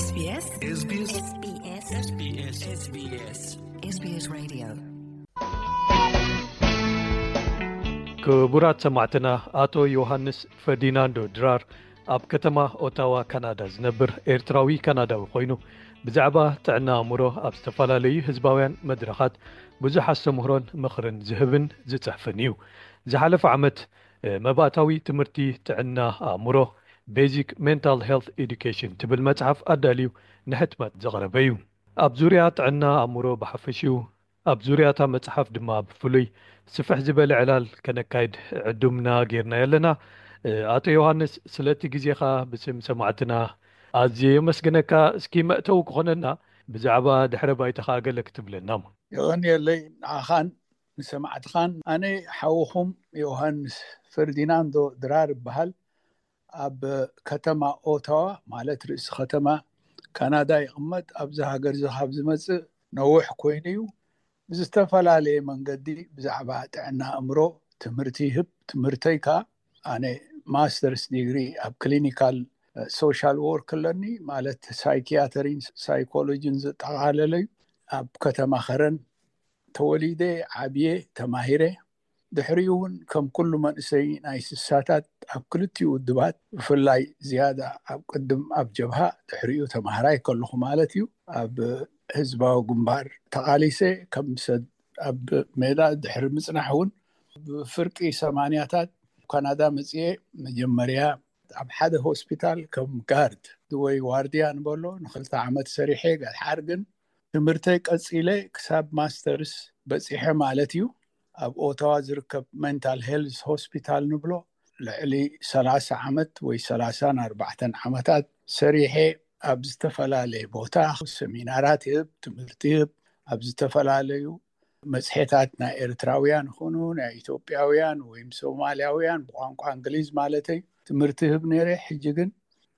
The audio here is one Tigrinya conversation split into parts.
SBS SBS SBS SBS SBS SBS Radio. ክቡራት ሰማዕትና፣ ኣቶ ዮሃንስ ፈርዲናንዶ ድራር ኣብ ከተማ ኦታዋ ካናዳ ዝነብር ኤርትራዊ ካናዳዊ ኮይኑ፣ ብዛዕባ ጥዕና ኣእምሮ ኣብ ዝተፈላለዩ ህዝባውያን መድረኻት ብዙሕ ኣስተምህሮን ምኽርን ዝህብን ዝጽሕፍን እዩ። ዝሓለፈ ዓመት መባእታዊ ትምህርቲ ጥዕና ኣእምሮ፣ Basic Mental Health Education ትብል መጽሓፍ ኣዳልዩ ንሕትመት ዘቕረበ እዩ። ኣብ ዙርያ ጥዕና ኣእምሮ ብሓፈሽኡ፣ ኣብ ዙርያ እታ መጽሓፍ ድማ ብፍሉይ ስፍሕ ዝበለ ዕላል ከነካይድ ዕዱምና ጌርና ኣለና። ኣቶ ዮሃንስ፣ ስለቲ ግዜኻ ብስም ሰማዕትና ኣዝየ የመስግነካ። እስኪ መእተዊ ክኾነና ብዛዕባ ድሕረ ባይታኻ ገለ ክትብለና። የቐንየለይ ንዓኻን ንሰማዕትኻን። ኣነ ሓውኹም ዮሃንስ ፈርዲናንዶ ድራር እበሃል። ኣብ ከተማ ኦታዋ፣ ማለት ርእሲ ከተማ ካናዳ ይቕመጥ። ኣብዚ ሃገር እዚ ካብ ዝመጽእ ነዊሕ ኮይኑ እዩ። ብዝተፈላለየ መንገዲ ብዛዕባ ጥዕና ኣእምሮ ትምህርቲ ይህብ። ትምህርተይ ከኣ ኣነ ማስተርስ ዲግሪ ኣብ ክሊኒካል ሶሻል ወርክ ኣለኒ፣ ማለት ሳይኪያትሪን ሳይኮሎጂን ዘጠቓለለ እዩ። ኣብ ከተማ ከረን ተወሊደ ዓብየ፣ ተማሂረ። ድሕሪኡ እውን ከም ኩሉ መንእሰይ ናይ ስሳታት ኣብ ክልቲኡ ውድባት፣ ብፍላይ ዝያዳ ኣብ ቅድም ኣብ ጀብሃ፣ ድሕሪኡ ተማሃራይ ከለኹ ማለት እዩ፣ ኣብ ህዝባዊ ግንባር ተቓሊሰ። ከም ሰብ ኣብ ሜዳ ድሕሪ ምጽናሕ እውን፣ ብፍርቂ ሰማንያታት ካናዳ መጽየ። መጀመርያ ኣብ ሓደ ሆስፒታል ከም ጋርድ ወይ ዋርድያ ንበሎ ንክልተ ዓመት ሰሪሐ። ገድሓር ግን ትምህርተይ ቀጺለ ክሳብ ማስተርስ በጺሐ ማለት እዩ። ኣብ ኦታዋ ዝርከብ ሜንታል ሄልዝ ሆስፒታል ንብሎ ልዕሊ ሰላሳ ዓመት ወይ ሰላሳን ኣርባዕተን ዓመታት ሰሪሐ፣ ኣብ ዝተፈላለየ ቦታ ሰሚናራት ይህብ፣ ትምህርቲ ይህብ። ኣብ ዝተፈላለዩ መጽሔታት ናይ ኤርትራውያን ይኹኑ ናይ ኢትዮጵያውያን ወይም ሶማልያውያን ብቋንቋ እንግሊዝ ማለተይ ትምህርቲ ይህብ ነይረ። ሕጂ ግን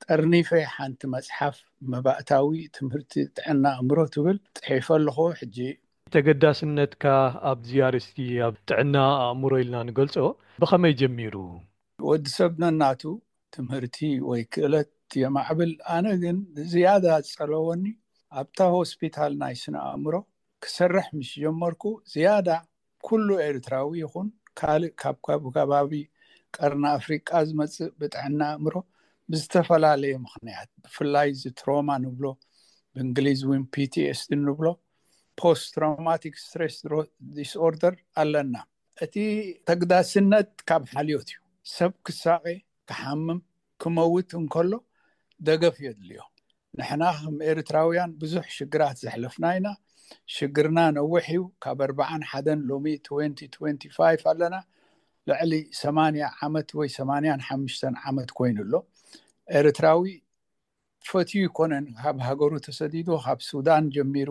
ጠርኒፈ ሓንቲ መጽሓፍ መባእታዊ ትምህርቲ ጥዕና ኣእምሮ ትብል ጽሒፈ ኣለኹ። ሕጂ ተገዳስነትካ ኣብዚ ኣርእስቲ፣ ኣብ ጥዕና ኣእምሮ ኢልና ንገልጾ፣ ብኸመይ ጀሚሩ? ወዲ ሰብ ነናቱ ትምህርቲ ወይ ክእለት የማዕብል። ኣነ ግን ዝያዳ ዝጸለወኒ ኣብታ ሆስፒታል ናይ ስነ ኣእምሮ ክሰርሕ ምስ ጀመርኩ፣ ዝያዳ ኩሉ ኤርትራዊ ይኹን ካልእ ካብ ካብ ከባቢ ቀርኒ ኣፍሪቃ ዝመጽእ ብጥዕና ኣእምሮ ብዝተፈላለየ ምኽንያት፣ ብፍላይ እዚ ትሮማ ንብሎ፣ ብእንግሊዝ እውን ፒ ቲ ኤስ ዲ ንብሎ፣ ፖስት ትራውማቲክ ስትሬስ ዲስኦርደር ኣለና። እቲ ተግዳስነት ካብ ሓልዮት እዩ። ሰብ ክሳቐ፣ ክሓምም፣ ክመውት እንከሎ ደገፍ የድልዮ። ንሕና ከም ኤርትራውያን ብዙሕ ሽግራት ዘሕለፍና ኢና። ሽግርና ነዊሕ እዩ። ካብ ኣርባዓን ሓደን ሎሚ ትወንቲ ትወንቲ ፋይቭ ኣለና። ልዕሊ ሰማንያ ዓመት ወይ ሰማንያን ሓሙሽተን ዓመት ኮይኑ ኣሎ። ኤርትራዊ ፈትዩ ይኮነን ካብ ሃገሩ ተሰዲዱ፣ ካብ ሱዳን ጀሚሩ፣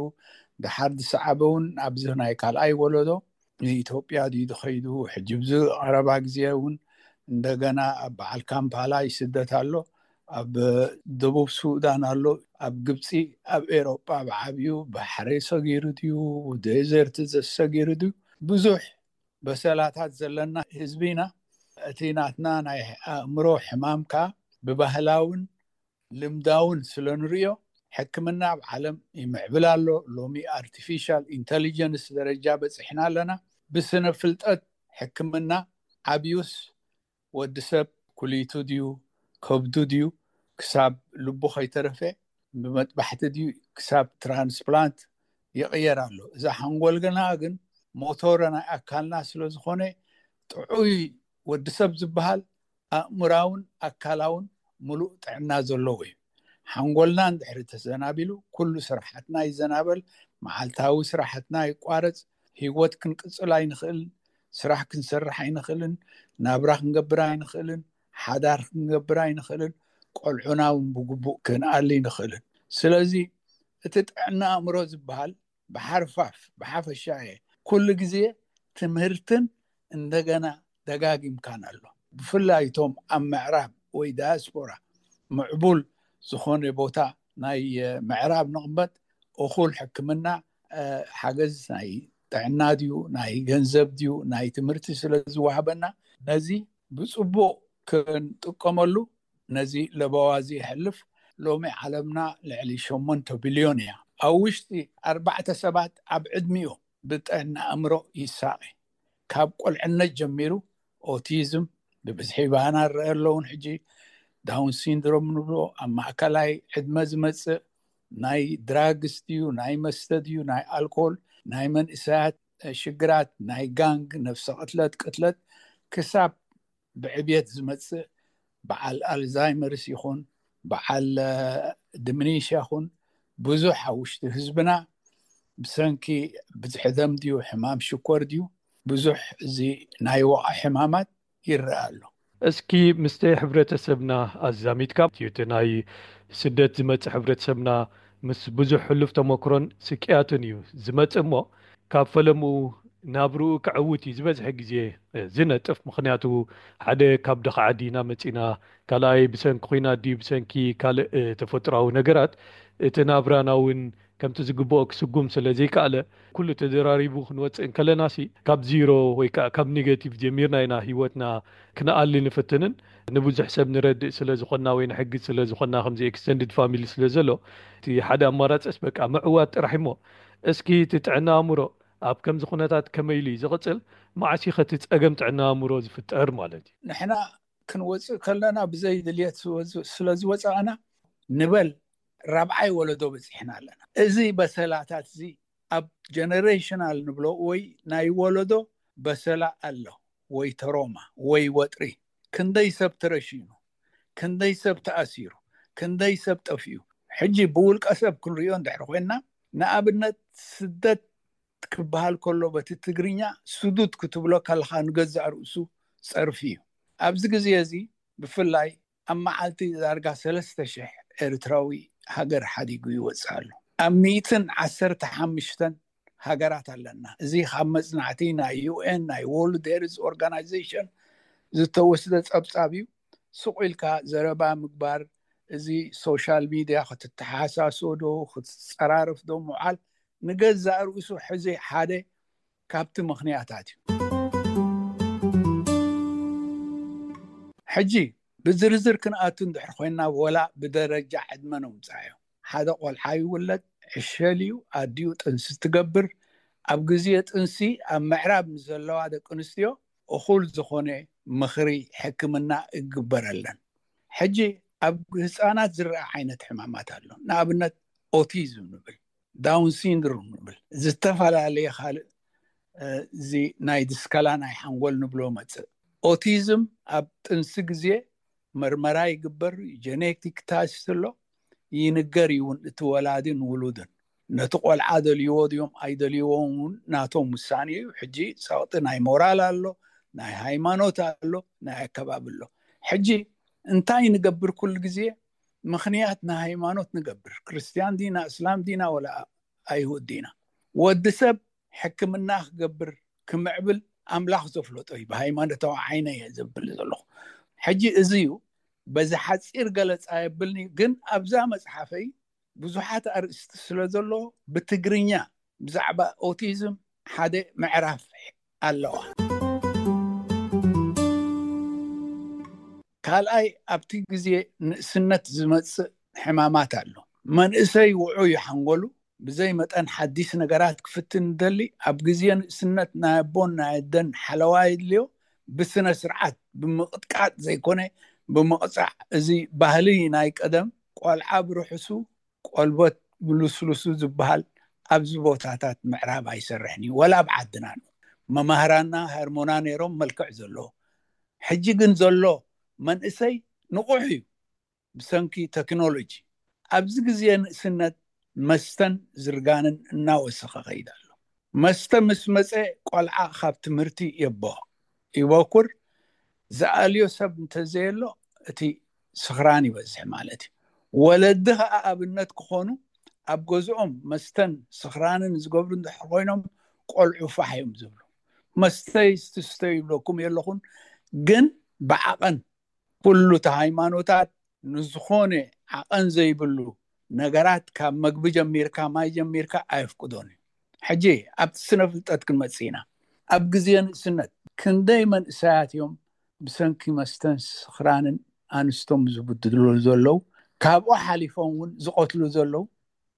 ድሓር ዝሰዓበ እውን ኣብዚ ናይ ካልኣይ ወለዶ ንኢትዮጵያ ድዩ ዝኸይዱ። ሕጂ ብዚ ቀረባ ግዜ እውን እንደገና ኣብ በዓል ካምፓላ ይስደት ኣሎ፣ ኣብ ደቡብ ሱዳን ኣሎ፣ ኣብ ግብፂ፣ ኣብ ኤሮጳ ብዓብዩ ባሕሪ ሰጊሩ ድዩ፣ ዴዘርት ዘሰጊሩ ድዩ፣ ብዙሕ በሰላታት ዘለና ህዝቢ ኢና። እቲ ናትና ናይ ኣእምሮ ሕማም ከኣ ብባህላውን ልምዳውን ስለ ንርእዮ፣ ሕክምና ኣብ ዓለም ይምዕብል ኣሎ። ሎሚ ኣርቲፊሻል ኢንተሊጀንስ ደረጃ በጺሕና ኣለና። ብስነ ፍልጠት ሕክምና ዓብዩስ፣ ወዲ ሰብ ኩሊቱ ድዩ ከብዱ ድዩ ክሳብ ልቡ ከይተረፈ፣ ብመጥባሕቲ ድዩ ክሳብ ትራንስፕላንት ይቕየር ኣሎ። እዛ ሓንጎል ገና ግን ሞቶር ናይ ኣካልና ስለ ዝኾነ፣ ጥዑይ ወዲ ሰብ ዝበሃል ኣእምራውን ኣካላውን ምሉእ ጥዕና ዘለዎ እዩ። ሓንጎልና እንድሕሪ ተዘናቢሉ፣ ኩሉ ስራሓትና ይዘናበል፣ መዓልታዊ ስራሕትና ይቋረጽ፣ ህይወት ክንቅጽል ኣይንኽእልን፣ ስራሕ ክንሰርሕ ኣይንኽእልን፣ ናብራ ክንገብር ኣይንኽእልን፣ ሓዳር ክንገብር ኣይንኽእልን፣ ቆልዑና እውን ብግቡእ ክንኣሊ ኣይንኽእልን። ስለዚ እቲ ጥዕና ኣእምሮ ዝበሃል ብሓርፋፍ፣ ብሓፈሻ እየ፣ ኩሉ ግዜ ትምህርትን እንደገና ደጋጊምካን ኣሎ። ብፍላይ እቶም ኣብ ምዕራብ ወይ ዳያስፖራ፣ ምዕቡል ዝኾነ ቦታ ናይ ምዕራብ ንቕመጥ፣ እኹል ሕክምና፣ ሓገዝ ናይ ጥዕና ድዩ፣ ናይ ገንዘብ ድዩ፣ ናይ ትምህርቲ ስለ ዝወሃበና፣ ነዚ ብጽቡቕ ክንጥቀመሉ፣ ነዚ ለበዋ እዚ የሕልፍ። ሎሚ ዓለምና ልዕሊ ሸሞንተ ቢልዮን እያ። ኣብ ውሽጢ ኣርባዕተ ሰባት ኣብ ዕድሚኡ ብጥዕና ኣእምሮ ይሳቐ። ካብ ቆልዕነት ጀሚሩ ኦቲዝም ብብዝሒ ባና ንረአ ኣለውን። ሕጂ ዳውን ሲንድሮም ንብሎ ኣብ ማእከላይ ዕድመ ዝመጽእ ናይ ድራግስ ድዩ ናይ መስተ ድዩ ናይ ኣልኮል ናይ መንእሰያት ሽግራት ናይ ጋንግ ነፍሰ ቅትለት ቅትለት ክሳብ ብዕብየት ዝመጽእ በዓል ኣልዛይመርስ ይኹን በዓል ድምኒሽ ይኹን ብዙሕ ኣብ ውሽጢ ህዝብና ብሰንኪ ብዝሒ ደም ድዩ ሕማም ሽኮር ድዩ ብዙሕ እዚ ናይ ወቓ ሕማማት ይረአ ኣሎ። እስኪ ምስቲ ሕብረተሰብና ኣዛሚድካ እቲ ናይ ስደት ዝመፅእ ሕብረተሰብና ምስ ብዙሕ ሕሉፍ ተመክሮን ስቅያትን እዩ ዝመፅእ እሞ ካብ ፈለምኡ ናብርኡ ክዕውት እዩ ዝበዝሐ ግዜ ዝነጥፍ። ምክንያቱ ሓደ ካብ ድኻ ዓዲ ኢና መፂና፣ ካልኣይ ብሰንኪ ኩናት ድዩ ብሰንኪ ካልእ ተፈጥሮዊ ነገራት እቲ ናብራና እውን ከምቲ ዝግብኦ ክስጉም ስለ ዘይከኣለ ኩሉ ተደራሪቡ ክንወፅእ እንከለና ሲ ካብ ዚሮ ወይ ከዓ ካብ ኔጋቲቭ ጀሚርና ኢና ህይወትና ክነኣሊ ንፍትንን ንብዙሕ ሰብ ንረድእ ስለ ዝኾንና ወይ ንሕግዝ ስለ ዝኾንና ከምዚ ኤክስተንድድ ፋሚሊ ስለ ዘሎ እቲ ሓደ ኣማራፅስ በቃ ምዕዋት ጥራሕ እሞ እስኪ እቲ ጥዕና ኣእምሮ ኣብ ከምዚ ኩነታት ከመይ ኢሉ እዩ ዝቕፅል? መዓስ እዩ ከቲ ፀገም ጥዕና ኣእምሮ ዝፍጠር ማለት እዩ? ንሕና ክንወፅእ ከለና ብዘይ ድልየት ስለ ዝወፃእና ንበል ራብዓይ ወለዶ በፂሕና ኣለና። እዚ በሰላታት እዚ ኣብ ጀነሬሽናል ንብሎ ወይ ናይ ወለዶ በሰላ ኣሎ ወይ ተሮማ ወይ ወጥሪ ክንደይ ሰብ ተረሺኑ ክንደይ ሰብ ተኣሲሩ ክንደይ ሰብ ጠፊኡ ሕጂ ብውልቀ ሰብ ክንሪኦ እንድሕር ኮይና ንኣብነት ስደት ክበሃል ከሎ በቲ ትግርኛ ስዱድ ክትብሎ ከለኻ ንገዛእ ርእሱ ጸርፊ እዩ። ኣብዚ ግዜ እዚ ብፍላይ ኣብ መዓልቲ ዳርጋ ሰለስተ ሽሕ ኤርትራዊ ሃገር ሓዲጉ ይወጽእ ኣሎ። ኣብ ሚእትን ዓሰርተ ሓሙሽተን ሃገራት ኣለና። እዚ ካብ መጽናዕቲ ናይ ዩ ኤን ናይ ወርልድ ሄልዝ ኦርጋናይዜሽን ዝተወስደ ጸብጻብ እዩ። ስቕ ኢልካ ዘረባ ምግባር እዚ ሶሻል ሚድያ ክትተሓሳስዶ ክትጸራረፍዶ ምውዓል ንገዛእ ርእሱ ሕዚ ሓደ ካብቲ ምኽንያታት እዩ። ሕጂ ብዝርዝር ክንኣቱ እንድሕር ኮይና ወላ ብደረጃ ዕድመ ነውፃዮ። ሓደ ቆልዓ ይውለድ፣ ዕሸል እዩ፣ ኣዲኡ ጥንሲ ትገብር። ኣብ ግዜ ጥንሲ ኣብ ምዕራብ ንዘለዋ ደቂ ኣንስትዮ እኹል ዝኾነ ምኽሪ ሕክምና እግበረለን። ሕጂ ኣብ ህፃናት ዝረአ ዓይነት ሕማማት ኣሎ። ንኣብነት ኦቲዝም ንብል፣ ዳውን ሲንድሮም ንብል፣ ዝተፈላለየ ካልእ እዚ ናይ ድስከላ ናይ ሓንጎል ንብሎ መፅእ። ኦቲዝም ኣብ ጥንሲ ግዜ መርመራ ይግበር፣ ጀኔቲክ ታስት ኣሎ፣ ይንገር ይውን እቲ ወላድን ውሉድን ነቲ ቆልዓ ደልይዎ ድዮም ኣይደልይዎም እውን ናቶም ውሳኔ እዩ። ሕጂ ፀቕጢ ናይ ሞራል ኣሎ፣ ናይ ሃይማኖት ኣሎ፣ ናይ ኣከባቢ ኣሎ። ሕጂ እንታይ ንገብር? ኩሉ ግዜ ምኽንያት ናይ ሃይማኖት ንገብር። ክርስትያን ዲና፣ እስላም ዲና ወላ ኣይሁድ ዲና? ወዲ ሰብ ሕክምና ክገብር ክምዕብል ኣምላኽ ዘፍለጦ እዩ። ብሃይማኖታዊ ዓይነ እየ ዘብል ዘለኹ። ሕጂ እዚ እዩ በዚ ሓፂር ገለፃ የብልኒ፣ ግን ኣብዛ መፅሓፈይ ብዙሓት ኣርእስቲ ስለ ዘሎ ብትግርኛ ብዛዕባ ኦቲዝም ሓደ ምዕራፍ ኣለዋ። ካልኣይ ኣብቲ ግዜ ንእስነት ዝመፅእ ሕማማት ኣሎ። መንእሰይ ውዑይ ሓንጎሉ ብዘይ መጠን ሓዲስ ነገራት ክፍትን ደሊ ኣብ ግዜ ንእስነት ናይ ኣቦን ናይ ኣደን ሓለዋ የድልዮ። ብስነ ስርዓት ብምቕጥቃጥ ዘይኮነ ብምቕፃዕ። እዚ ባህሊ ናይ ቀደም ቆልዓ ብርሑሱ ቆልበት ብልስሉሱ ዝበሃል ኣብዚ ቦታታት ምዕራብ ኣይሰርሕን እዩ። ወላ ኣብ ዓድና መማህራና ሃርሞና ነይሮም መልክዕ ዘለዎ። ሕጂ ግን ዘሎ መንእሰይ ንቑሕ እዩ ብሰንኪ ቴክኖሎጂ። ኣብዚ ግዜ ንእስነት መስተን ዝርጋንን እናወሰኸ ከይድ ኣሎ። መስተ ምስ መፀ ቆልዓ ካብ ትምህርቲ የቦ ይበኩር። ዝኣልዮ ሰብ እንተዘየሎ እቲ ስኽራን ይበዝሕ ማለት እዩ። ወለዲ ከዓ ኣብነት ክኾኑ ኣብ ገዝኦም መስተን ስኽራንን ዝገብሩ እንድሕር ኮይኖም ቆልዑ ፋሕ እዮም ዝብሉ። መስተ ይስትስተ ይብለኩም የለኹን፣ ግን ብዓቐን ኩሉ እቲ ሃይማኖታት ንዝኾነ ዓቐን ዘይብሉ ነገራት ካብ መግቢ ጀሚርካ ማይ ጀሚርካ ኣየፍቅዶን እዩ። ሕጂ ኣብቲ ስነ ፍልጠት ክንመጽእ ኢና። ኣብ ግዜ ንእስነት ክንደይ መንእሰያት እዮም ብሰንኪ መስተን ስኽራንን ኣንስቶም ዝብድሉ ዘለዉ። ካብኡ ሓሊፎም እውን ዝቐትሉ ዘለዉ፣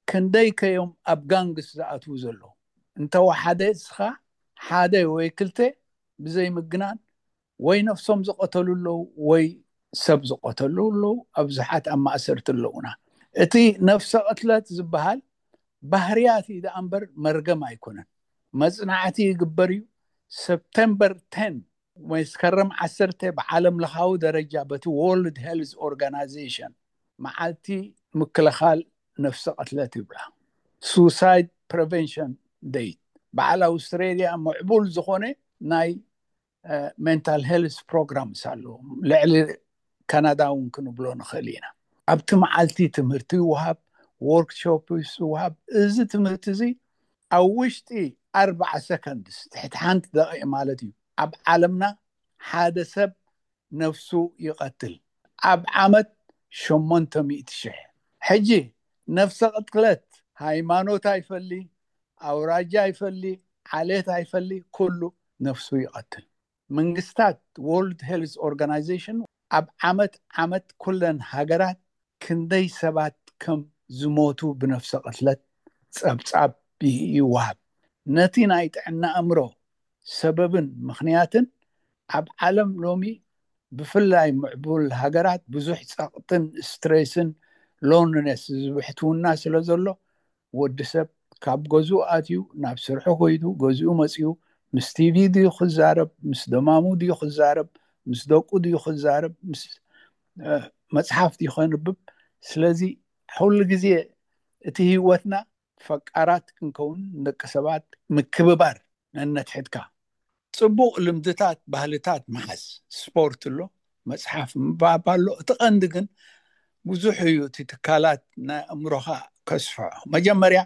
ክንደይ ከዮም ኣብ ጋንግስ ዝኣትዉ ዘለዉ። እንተወሓደ እስኻ ሓደ ወይ ክልተ ብዘይ ምግናን ወይ ነፍሶም ዝቐተሉ ኣለዉ ወይ ሰብ ዝቐተሉ ኣለዉ። ኣብዙሓት ኣብ ማእሰርቲ ኣለዉና። እቲ ነፍሰ ቅትለት ዝበሃል ባህርያት እዩ ደኣ እምበር መርገም ኣይኮነን። መጽናዕቲ ይግበር እዩ። ሰፕተምበር ቴን፣ መስከረም ዓሰርተ፣ ብዓለም ለኻዊ ደረጃ በቲ ወርልድ ሄልዝ ኦርጋናይዜሽን መዓልቲ ምክልኻል ነፍሰ ቅትለት ይብላ። ሱሳይድ ፕሪቨንሽን ደይ። በዓል ኣውስትሬልያ ምዕቡል ዝኾነ ናይ ሜንታል ሄልስ ፕሮግራምስ ኣለዎ። ልዕሊ ካናዳ እውን ክንብሎ ንኽእል ኢና። ኣብቲ መዓልቲ ትምህርቲ ይወሃብ፣ ወርክሾፕ ይወሃብ። እዚ ትምህርቲ እዚ ኣብ ውሽጢ ኣርባዓ ሰከንድስ፣ ትሕቲ ሓንቲ ደቂቕ ማለት እዩ፣ ኣብ ዓለምና ሓደ ሰብ ነፍሱ ይቐትል። ኣብ ዓመት ሸሞንተ ሚእቲ ሽሕ። ሕጂ ነፍሰ ቅትለት ሃይማኖት ኣይፈሊ፣ ኣውራጃ ኣይፈሊ፣ ዓሌት ኣይፈሊ፣ ኩሉ ነፍሱ ይቐትል። መንግስታት፣ ወርልድ ሄልዝ ኦርጋናይዜሽን ኣብ ዓመት ዓመት ኩለን ሃገራት ክንደይ ሰባት ከም ዝሞቱ ብነፍሰ ቅትለት ጸብጻብ ይወሃብ። ነቲ ናይ ጥዕና ኣእምሮ ሰበብን ምኽንያትን ኣብ ዓለም ሎሚ ብፍላይ ምዕቡል ሃገራት ብዙሕ ጸቕጥን ስትሬስን ሎንነስ ዝብሕትውና ስለ ዘሎ ወዲ ሰብ ካብ ገዝኡ ኣትዩ ናብ ስርሑ ኮይዱ ገዝኡ መፅዩ ምስ ቲቪ ድዩ ክዛረብ፣ ምስ ደማሙ ድዩ ክዛረብ፣ ምስ ደቁ ድዩ ክዛረብ፣ ምስ መፅሓፍ ድዩ ከንብብ። ስለዚ ኩሉ ግዜ እቲ ህይወትና ፈቃራት ክንከውን፣ ደቂ ሰባት ምክብባር ነነትሕትካ፣ ፅቡቕ ልምድታት፣ ባህልታት ምሓዝ፣ ስፖርት ኣሎ፣ መፅሓፍ ምንባብ ኣሎ። እቲ ቀንዲ ግን ብዙሕ እዩ እቲ ትካላት ናይ ኣእምሮኻ ከስፍሖ። መጀመርያ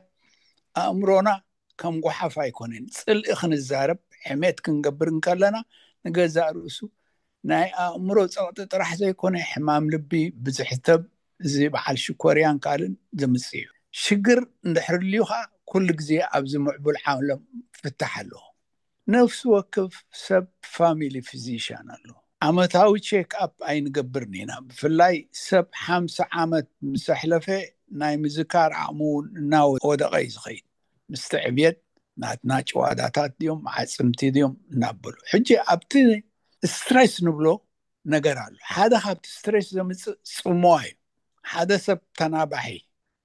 ኣእምሮና ከም ጓሓፍ ኣይኮነን። ፅልኢ ክንዛረብ፣ ሕሜት ክንገብር እንከለና ንገዛእ ርእሱ ናይ ኣእምሮ ፀቕጢ ጥራሕ ዘይኮነ ሕማም ልቢ፣ ብዝሕተብ፣ እዚ በዓል ሽኮርያን ካልእን ዘምፅእ እዩ። ሽግር እንድሕር ልዩ ከዓ ኩሉ ግዜ ኣብዚ ምዕቡል ዓለም ፍታሕ ኣለዎ። ነፍሲ ወከፍ ሰብ ፋሚሊ ፊዚሽያን ኣለዎ። ዓመታዊ ቼክ ኣፕ ኣይንገብርን ኢና። ብፍላይ ሰብ ሓምሳ ዓመት ምስ ኣሕለፈ ናይ ምዝካር ዓቕሙ እውን እናወደቐ እዩ ዝኸይድ። ምስቲ ዕብየት ናትና ጭዋዳታት ድዮም ዓፅምቲ ድዮም እናበሉ። ሕጂ ኣብቲ ስትሬስ ንብሎ ነገር ኣሎ። ሓደ ካብቲ ስትሬስ ዘምፅእ ፅምዋ እዩ። ሓደ ሰብ ተናባሒ፣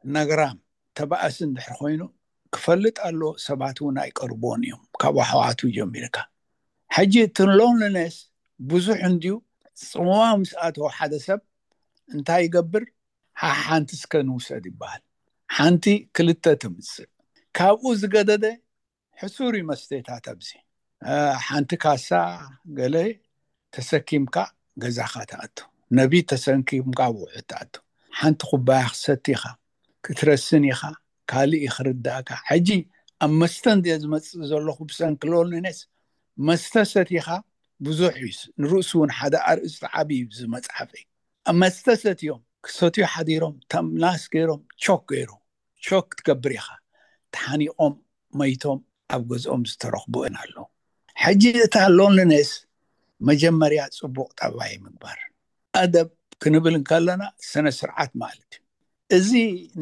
ነግራም፣ ተባእሲ እንድሕር ኮይኑ ክፈልጥ ኣለዎ። ሰባት እውን ኣይቀርብዎን እዮም ካብ ኣሕዋቱ ጀሚርካ። ሕጂ እቲ ሎንሊነስ ብዙሕ እንድዩ። ፅምዋ ምስ ኣተወ ሓደ ሰብ እንታይ ይገብር? ሓሓንቲ እስከ ንውሰድ ይበሃል። ሓንቲ ክልተ ትምፅእ። ካብኡ ዝገደደ ሕሱር እዩ መስተታት ኣብዚ። ሓንቲ ካሳ ገለ ተሰኪምካ ገዛኻ ትኣቱ፣ ነቢት ተሰኪምካ ውዑ ትኣቱ። ሓንቲ ኩባያ ክሰቲ ኢኻ፣ ክትረስን ኢኻ፣ ካልእ እዩ ክርዳእካ። ሕጂ ኣብ መስተ እንድየ ዝመፅእ ዘለኹ ብሰንኪ ሎንሊነስ። መስተ ሰቲኻ ብዙሕ እዩ፣ ንርእሱ እውን ሓደ ኣርእስቲ ዓብዪ እዩ ዝመፅሓፈይ። ኣብ መስተ ሰትዮም ክሰትዩ ሓዲሮም ተምላስ ገይሮም ቾክ ገይሮም ሾክ ትገብር ኢኻ። ተሓኒቖም መይቶም ኣብ ገዝኦም ዝተረኽቡ ኣለዉ። ሕጂ እታ ሎንሊነስ መጀመርያ ፅቡቕ ጠባይ ምግባር፣ ኣደብ ክንብል እንከለና ስነ ስርዓት ማለት እዩ። እዚ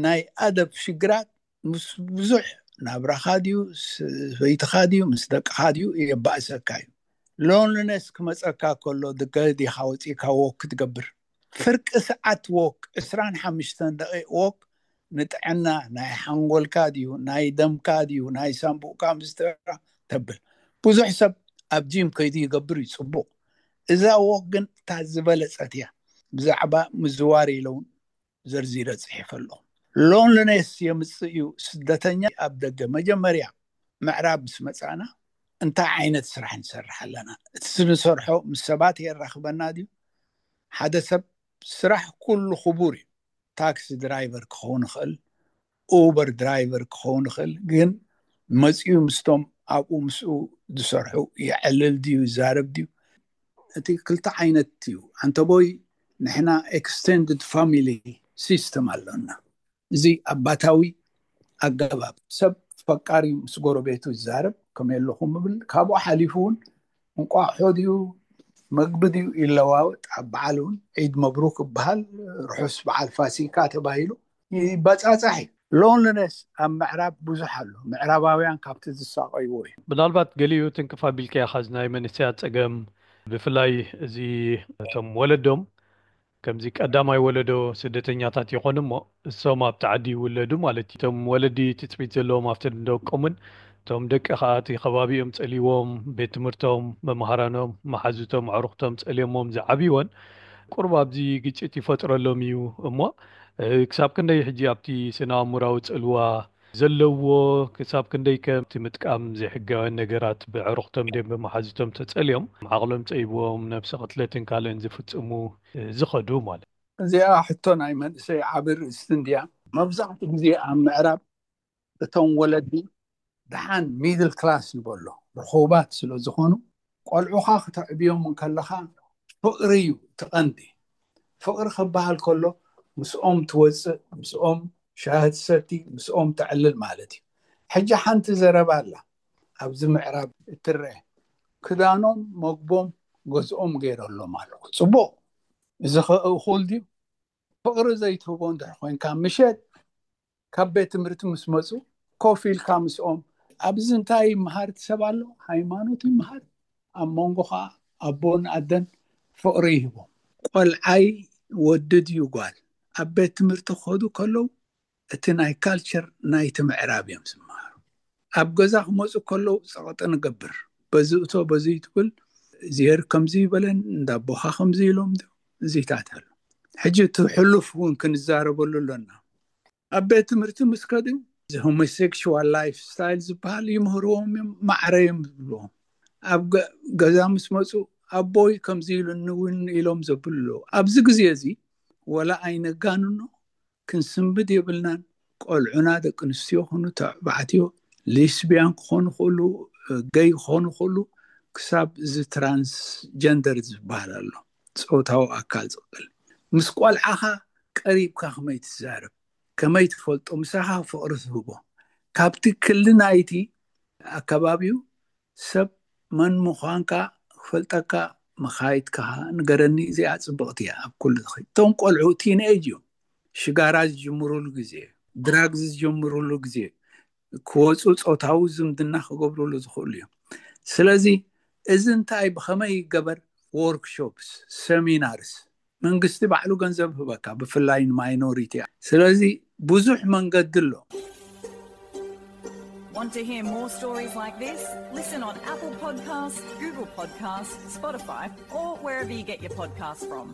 ናይ ኣደብ ሽግራት ምስ ብዙሕ ናብራኻ ድዩ፣ ሰበይትኻ ድዩ፣ ምስ ደቅኻ ድዩ የባእሰካ እዩ። ሎንሊነስ ክመፀካ ከሎ ድገ ዲኻ ወፂእካ ወክ ክትገብር፣ ፍርቂ ሰዓት ወክ፣ ዕስራን ሓሙሽተን ደቂቕ ወክ፣ ንጥዕና ናይ ሓንጎልካ ድዩ ናይ ደምካ ድዩ ናይ ሳንቡእካ ምስትራ ተብል። ብዙሕ ሰብ ኣብ ጂም ከይዱ ይገብር እዩ ፅቡቕ። እዛ ወክ ግን እታ ዝበለፀት እያ። ብዛዕባ ምዝዋር ኢለውን ዘርዚረ ፅሒፈ ኣለኹ። ሎንሊነስ የምፅእ እዩ። ስደተኛ ኣብ ደገ መጀመርያ ምዕራብ ምስ መፃና እንታይ ዓይነት ስራሕ ንሰርሕ ኣለና? እቲ ንሰርሖ ምስ ሰባት የራኽበና ድዩ? ሓደ ሰብ ስራሕ ኩሉ ክቡር እዩ። ታክሲ ድራይቨር ክኸውን ይኽእል፣ ኡበር ድራይቨር ክኸውን ይኽእል። ግን መፂኡ ምስቶም ኣብኡ ምስኡ ዝሰርሑ የዕልል ድዩ ይዛረብ ድዩ? እቲ ክልተ ዓይነት እዩ። ኣንተቦይ ንሕና ኤክስቴንድድ ፋሚሊ ሲስተም ኣሎና። እዚ ኣባታዊ ኣገባብ ሰብ ፈቃሪ ምስ ጎረቤቱ ይዛረብ ከመይ ኣለኹም ምብል። ካብኡ ሓሊፉ እውን እንቋቑሖ ድዩ መግቢ ድዩ ይለዋወጥ፣ ኣብ በዓል እውን ዒድ መብሩክ ይበሃል፣ ርሑስ በዓል ፋሲካ ተባሂሉ ይበጻጻሕ እዩ። ሎንሊነስ ኣብ ምዕራብ ብዙሕ ኣሎ። ምዕራባውያን ካብቲ ዝሳቐይዎ እዩ። ምናልባት ገሊኡ ትንክፍ ኣቢልካ ኢኻ፣ እዚ ናይ መንእሰያት ጸገም፣ ብፍላይ እዚ እቶም ወለዶም ከምዚ ቀዳማይ ወለዶ ስደተኛታት ይኾኑ እሞ እሶም ኣብቲ ዓዲ ይውለዱ ማለት እዩ። እቶም ወለዲ ትጽቢት ዘለዎም ኣብቲ ደቆምን እቶም ደቂ ከኣ እቲ ከባቢኦም ጸልዎም፣ ቤት ትምህርቶም፣ መምሃራኖም፣ መሓዙቶም፣ ኣዕሩኽቶም ጸልዮሞም ዝዓብይዎን ቁሩብ ኣብዚ ግጭት ይፈጥረሎም እዩ እሞ ክሳብ ክንደይ ሕጂ ኣብቲ ስነ ኣእምራዊ ጽልዋ ዘለዎ፣ ክሳብ ክንደይ ከም እቲ ምጥቃም ዘይሕጋውያን ነገራት ብዕሩኽቶም ድዮም ብመሓዙቶም ተጸልዮም ዓቕሎም ጸይብዎም ነብሲ ቅትለትን ካልእን ዝፍጽሙ ዝኸዱ ማለት። እዚኣ ሕቶ ናይ መንእሰይ ዓቢ ርእስቲ እንድያ። መብዛሕትኡ ግዜ ኣብ ምዕራብ እቶም ወለዲ ደሓን ሚድል ክላስ ንበሎ ርኹባት ስለ ዝኾኑ ቆልዑኻ ክተዕብዮም እንከለኻ ፍቕሪ እዩ እቲ ቀንዲ። ፍቕሪ ክበሃል ከሎ ምስኦም ትወፅእ፣ ምስኦም ሻሂ ትሰቲ፣ ምስኦም ተዕልል ማለት እዩ። ሕጂ ሓንቲ ዘረባ ኣላ ኣብዚ ምዕራብ እትረአ፣ ክዳኖም መግቦም ገዝኦም ገይረሎም ኣለኹ። ፅቡቕ፣ እዚ ኸ እኹል ድዩ? ፍቕሪ ዘይትህቦ እንድሕር ኮይንካ ምሸት ካብ ቤት ትምህርቲ ምስ መፁ ኮፍ ኢልካ ምስኦም ኣብዚ እንታይ ይመሃር እቲ ሰብ ኣሎ? ሃይማኖት ይመሃር፣ ኣብ መንጎ ከዓ ኣቦን ኣደን ፍቕሪ ይህቦም። ቆልዓይ ወዲ ድዩ ጓል ኣብ ቤት ትምህርቲ ክኸዱ ከለዉ እቲ ናይ ካልቸር ናይቲ ምዕራብ እዮም ዝመሃሩ። ኣብ ገዛ ክመፁ ከለዉ ፀቕጢ ንገብር፣ በዚ እቶ በዚ ትብል፣ እዚሄር ከምዚ ይበለን እንዳቦኻ ከምዚ ኢሎም እዚታት ኣሎ። ሕጂ እቲ ሕሉፍ እውን ክንዛረበሉ ኣለና። ኣብ ቤት ትምህርቲ ምስ ከዱ እዚ ሆሞሴክሽዋል ላይፍ ስታይል ዝበሃል ይምህርዎም እዮም፣ ማዕረ እዮም ዝብልዎም። ኣብ ገዛ ምስ መፁ ኣቦይ ከምዚ ኢሉኒ እውን ኢሎም ዘብሉ ኣለዉ። ኣብዚ ግዜ እዚ ወላ ኣይነጋንኖ ክንስንብድ የብልናን። ቆልዑና ደቂ ኣንስትዮ ኹኑ ተባዕትዮ፣ ሊስቢያን ክኾኑ ክእሉ፣ ገይ ክኾኑ ክእሉ፣ ክሳብ እዚ ትራንስጀንደር ዝበሃል ኣሎ፣ ፆታዊ ኣካል ዝቕል ምስ ቆልዓኻ ቀሪብካ ከመይ ትዛረብ፣ ከመይ ትፈልጦ፣ ምሳኻ ፍቕሪ ትህቦ፣ ካብቲ ክሊ ናይቲ ኣከባቢኡ ሰብ መን ምዃንካ ክፈልጠካ መኻይትካ ንገረኒ። እዚኣ ፅብቕቲ እያ። ኣብ ኩሉ ትኸይድ እቶም ቆልዑ ቲንኤጅ እዮም፣ ሽጋራ ዝጅምሩሉ ግዜ፣ ድራግዝ ዝጀምሩሉ ግዜ፣ ክወፁ ፆታዊ ዝምድና ክገብሩሉ ዝኽእሉ እዮም። ስለዚ እዚ እንታይ ብኸመይ ይገበር? ወርክሾፕስ፣ ሰሚናርስ፣ መንግስቲ ባዕሉ ገንዘብ ህበካ፣ ብፍላይ ንማይኖሪቲ። ስለዚ ብዙሕ መንገዲ ኣሎ። Want to hear more stories like this? Listen on Apple Podcasts, Google Podcasts, Spotify, or wherever you get your podcasts from.